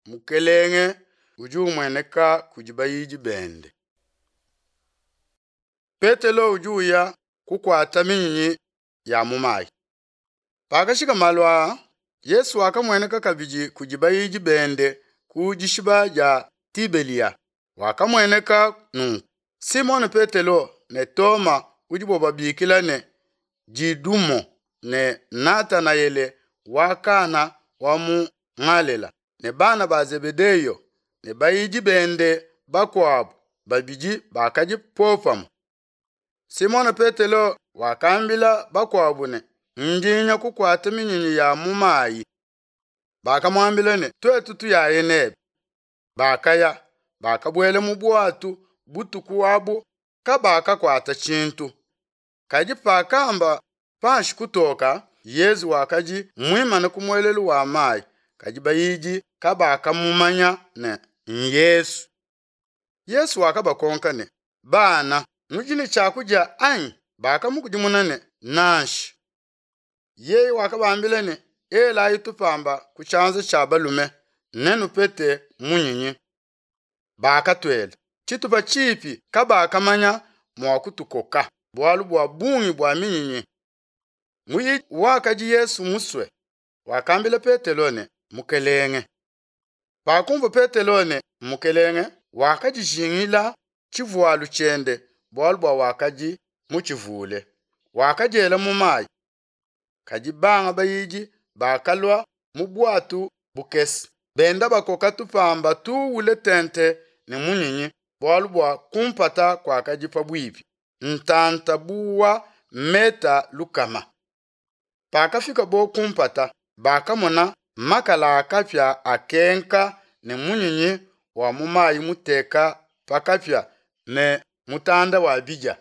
Mukelenge udi umueneka kudi bayidi bende. Petelo udi uya kukuata minyinyi ya mu mayi. Pakashika malu aa, Yesu wakamueneka kabidi kudi bayidi bende ku dishiba dia Tibelia. Wakamueneka nunku: Simone Petelo ne Toma udibo babikila ne, Didumo, ne Natanaele wa Kana wa mu Ngalela, ne bana ba Zebedeyo, ne bayidi bende bakuabo babidi bakadi popamue. Simone Petelo wakambila bakuabo ne, Ndi nya kukuata minyinyi ya mu mayi. Bakamuambila ne, Tuetu tuyaye nebe. Bakaya, bakabuela mu buatu, butuku abu kabakakuata tshintu. Kadi pakamba panshi kutoka, Yezu wakadi muimane ku muelelu wa mayi, kadi bayidi kabakamumanya ne, Nyesu. Yesu wakabakonka ne, Bana, nudi ne tshiakudia anyi? Bakamukudimuna ne, Nansha. Yeye wakabambila ne, Elayi tupamba ku tshianza tshia balume, nenupete munyinyi. Bakatuela. Tshitupa tshipi kabakamanya mua kutukoka, bualu bua bungi bua minyinyi. Muyidi wakadi Yesu musue wakambila Petelo ne, Mukelenge. Pakumvua Petelo ne, Mukelenge, wakadijingila tshivualu tshiende, bualu bua wakadi mutshivule, wakadiela mu mayi. Kadi banga bayidi bakalua mu buatu bukese, benda bakoka tupamba tuwule tente ne munyinyi, bualu bua kumpata kuakadi pabuipi, ntanta bu wa meta lukama. Pakafikabo kumpata, bakamona makala a kapia akenka ne munyinyi wa mu mayi muteka pa kapia ne mutanda wa bidia.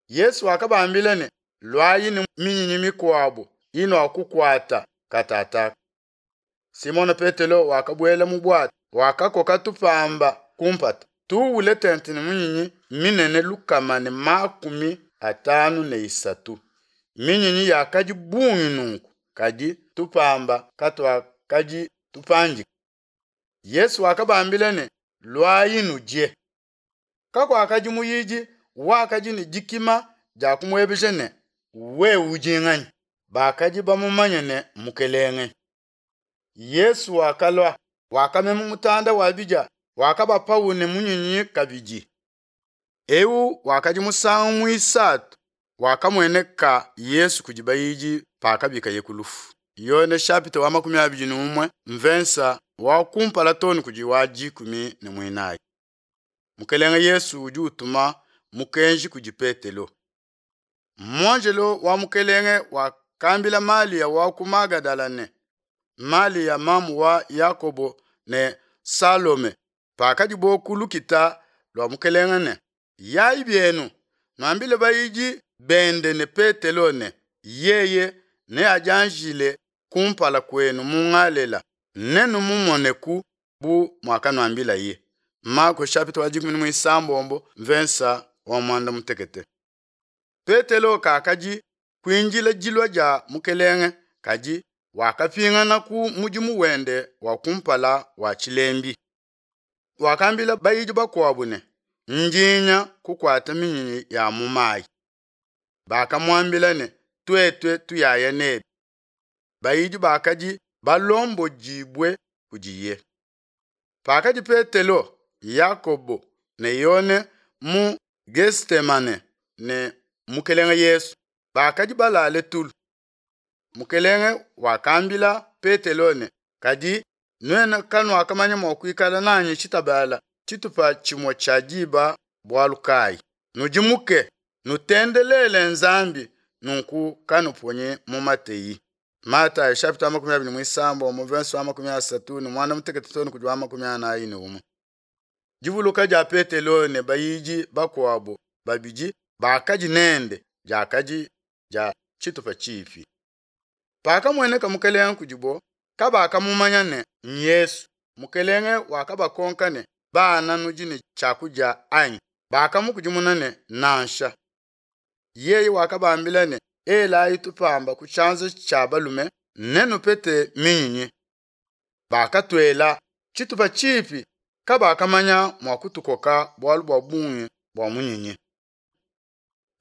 Yesu wakabambila ne, Luayi ne minyinyi mikuabo inuakukuata katataka. Simone Petelo wakabuela mu buatu, wakakoka tupamba kumpata, tuwule tente ne minyinyi minene 153. Minyinyi yakadi bungi nunku, kadi tupamba katuakadi tupandika. Yesu wakabambila ne, Luayi nudie. Kakuakadi muyidi wakadi ne dikima dia kumuebeja ne, Wewe udi nganyi? Bakadi bamumanye ne, Mukelenge. Yesu wakalua, wakamema mutanda wa bidia, wakabapawu ne munyinyi kabidi. Eu wakadi musangu muisatu wakamueneka Yesu kudi bayidi pakabikaye ku lufu. Yone chapitre wa 21 mvensa wa kumpala too ne kudi wa 14. Mukelenge Yesu udi utuma mukenji kudi Petelo. Muanjelo wa Mukelenge wakambila Malia wa ku Magadala ne Malia mamu wa Yakobo ne Salome pakadibo ku lukita lua Mukelenge ne, Yayi bienu, nuambile bayidi bende ne Petelo ne, Yeye neadianjile kumpala kuenu mu Ngalela, nenumumoneku bu muakanuambilaye. Mako chapitre wa 16 mvensa wa 16. Petelo kakadi kuindila dilua dia Mukelenge, kadi wakapingana ku mudimu wende wa kumpala wa tshilembi. Wakambila bayidi bakuabo ne, Ndi nya kukuata minyinyi ya mu mayi. Bakamuambila ne, Tuetu tuyaya nebe. Bayidi bakadi balombodibue kudiye. Pakadi Petelo, Yakobo ne Yone mu Getemane ne Mukelenge Yesu, bakadi balale tulu. Mukelenge wakambila Petelo ne, Kadi nuenu kanuakamanya mua kuikala nanyi tshitabala tshitupa tshimue tshia diba bualu kayi? Nudimuke, nutendelele Nzambi, nunku kanuponyi mu mateyi. Matayo chapitre wa 26 verse wa 38 too ne kudi wa 41. Divuluka dia Petelo ne bayidi bakuabo babidi bakadi nende diakadi dia tshitupa tshipi. Pakamueneka Mukelenge kudibo, kabakamumanya ne, Nyesu. Mukelenge wakabakonka ne, Bana, nudi ne tshiakudia anyi? Bakamukudimuna ne, Nansha. Yeye wakabambila ne, Elayi tupamba ku tshianza tshia balume, nenupete minyinyi. Bakatuela. Tshitupa tshipi kabakamanya mua kutukoka bualu bua bungi bua munyinyi.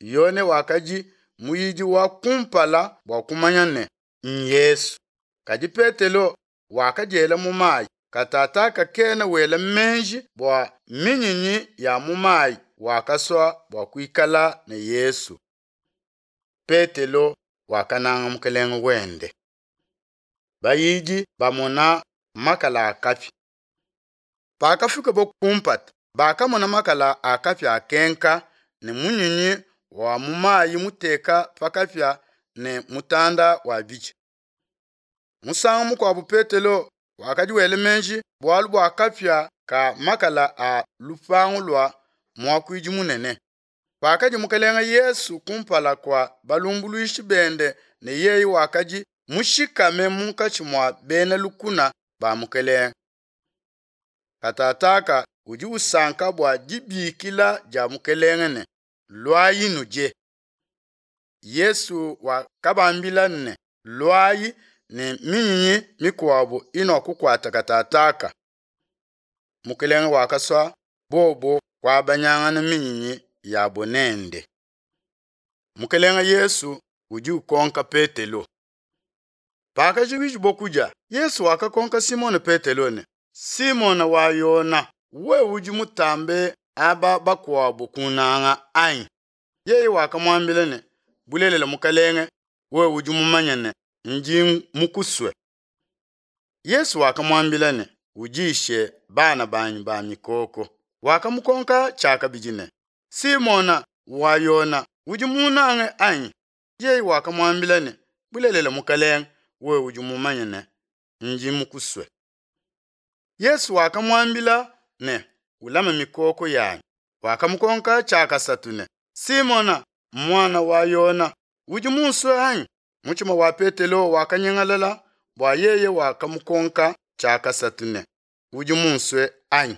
Yone wakadi muyidi wa kumpala bua kumanya ne, Yesu. Kadi Petelo wakadiela mu mayi, katataka kena wela meji bua minyinyi ya mu mayi, wakasua bua kuikala ne Yesu. Petelo wakananga Mukelenge wende. Bayidi bamona makala a kapia. Pakafikabo ku mpata, bakamona makala a kapia akenka ne munyinyi wa mu mayi muteka pa kapia ne mutanda wa bidia. Musangu mukuabo Petelo wakadi wela meji bualu bua kapia ka makala a lupangu lua muakuidi munene. Pakadi Mukelenge Yesu kumpala kua balumbuluishi bende ne yeye wakadi mushikame munkatshi mua bena lukuna ba Mukelenge. Katataka udi usanka bua dibikila dia Mukelenge ne, Luayi nudie. Yesu wakabambila ne, Luayi ne minyinyi mikuabo inuakukuata katataka. Mukelenge wakasua bobo kuabanyangana minyinyi yabo nende. Mukelenge Yesu udi ukonka Petelo. Pakajikijabo kudia, Yesu wakakonka Simone Petelo ne, Simone wa Yona, wewe udi mutambe aba bakuabo kunanga anyi? Yeye wakamuambila ne, Bulelela Mukelenge, wewe udi mumanye ne, ndi mukusue. Yesu wakamuambila ne, Udishe bana banyi ba mikoko. Wakamukonka tshiakabidi ne, Simona wa Yona, udi munange anyi? Yeye wakamuambila ne, Bulelela Mukelenge, wewe udi mumanye ne, ndi mukusue. Yesu wakamuambila ne, Ulame mikoko yanyi. Wakamukonka tshiakasatu ne, Simona, muana wa Yona, udi munsue anyi? Mutshima wa Petelo wakanyingalala bua yeye wakamukonka tshiakasatu ne, Udi munsue anyi?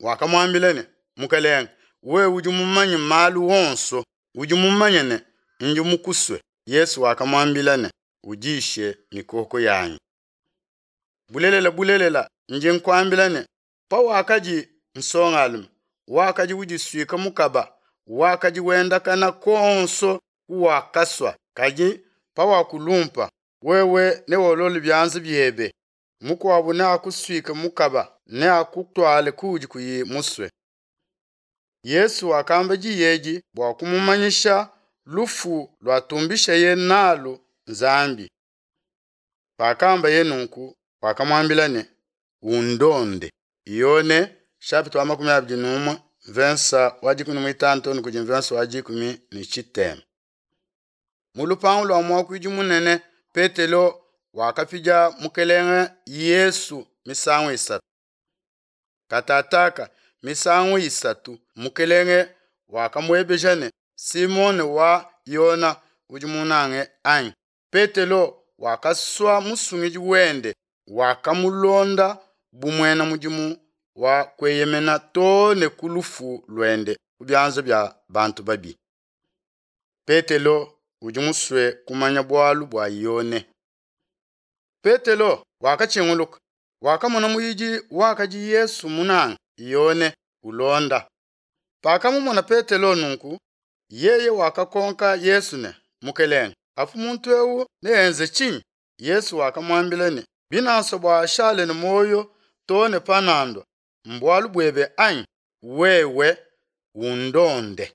Wakamuambila ne, Mukelenge, wewe udi mumanye malu onso, udi mumanye ne, ndi mukusue. Yesu wakamuambila ne, Udishe mikoko yanyi. Bulelela, bulelela, ndi nkuambila ne, pawakadi nsongalume, wakadi udisuika mukaba, wakadi wendakana kuonso kuwakasua, kadi pawakulumpa, wewe newolole bianza biebe, mukuabo neakusuike mukaba, neakutuale kuudi kuyi musue. Yesu wakamba diyi edi bua kumumanyisha lufu luatumbishaye nalu Nzambi. Pakambaye nunku, wakamuambila ne, Undonde. Yone chapitre wa 21 verse wa 15 too ne kudi verse wa 13. Mu lupangu lua muakuidi munene, Petelo wakapidia Mukelenge Yesu misangu isatu. Katataka misangu isatu Mukelenge wakamuebeja ne, Simone wa Yona, udi munange anyi? Petelo wakasua musungidi wende, wakamulonda bu muena mudimu wa kueyemena too ne ku lufu luende ku bianza bia bantu babi. Petelo udi musue kumanya bualu bua Yone. Petelo wakatshinguluka, wakamona muyidi wakadi Yesu munange, Yone, ulonda. Pakamumona Petelo nunku, yeye wakakonka Yesu ne, Mukelenge, apu muntu eu neenze tshinyi? Yesu wakamuambila ne, Binansua bua ashale ne muoyo too ne panandua, mbualu buebe anyi? Wewe undonde.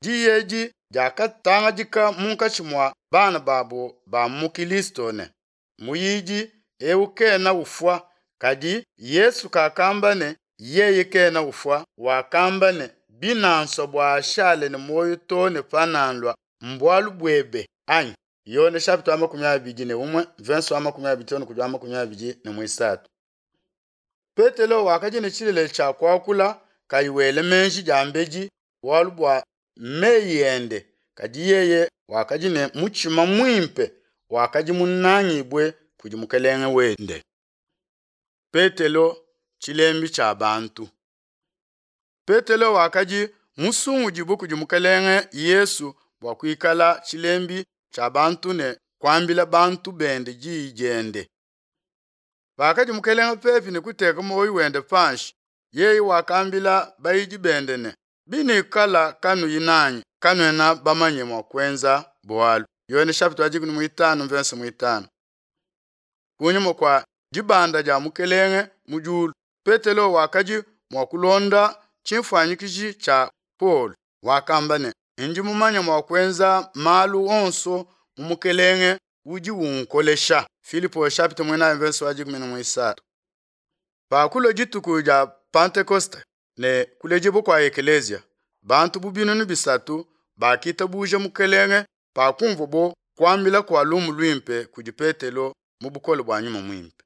Diyi edi diakatangadika munkatshi mua bana babo ba mu Kilisto ne, muyidi eu kena ufua, kadi Yesu kakamba ne, yeye kena ufua, wakamba ne, binansua bua ashale ne muoyo too ne panandua, mbualu buebe anyi? Yone chapitre wa 21 verse wa 25 kudi wa 23. Petelo wakadi ne tshilele tshia kuakula kayi wela meji diambedi bualu bua meyi ende, kadi yeye wakadi ne mutshima muimpe, wakadi munangibue kudi Mukelenge wende. Petelo tshilembi tshia bantu. Petelo wakadi musungudibue kudi Mukelenge Yesu bua kuikala tshilembi tshia bantu ne kuambila bantu bende diyi diende. Pakadi Mukelenge pepi ne kuteka muoyo wende panshi, yeye wakambila bayidi bende ne, Binuikala kanuyi nanyi, kanuena bamanye mua kuenza bualu. Yone chapitre wa 15 verse 5. Kunyima kua dibanda dia Mukelenge mu diulu, Petelo wakadi mua kulonda tshinfuanyikiji tshia Paulo, wakamba ne, Ndi mumanye mua kuenza malu onso mu Mukelenge udi unkolesha. Filipo chapitre 4 verse wa 13. Pakulua dituku dia Pentekoste ne kuledibua kua ekeleziya, bantu bu binunu bisatu bakitabuja Mukelenge pakumvuabo kuambila kua lumu luimpe kudi Petelo mu bukole bua Nyuma Muimpe.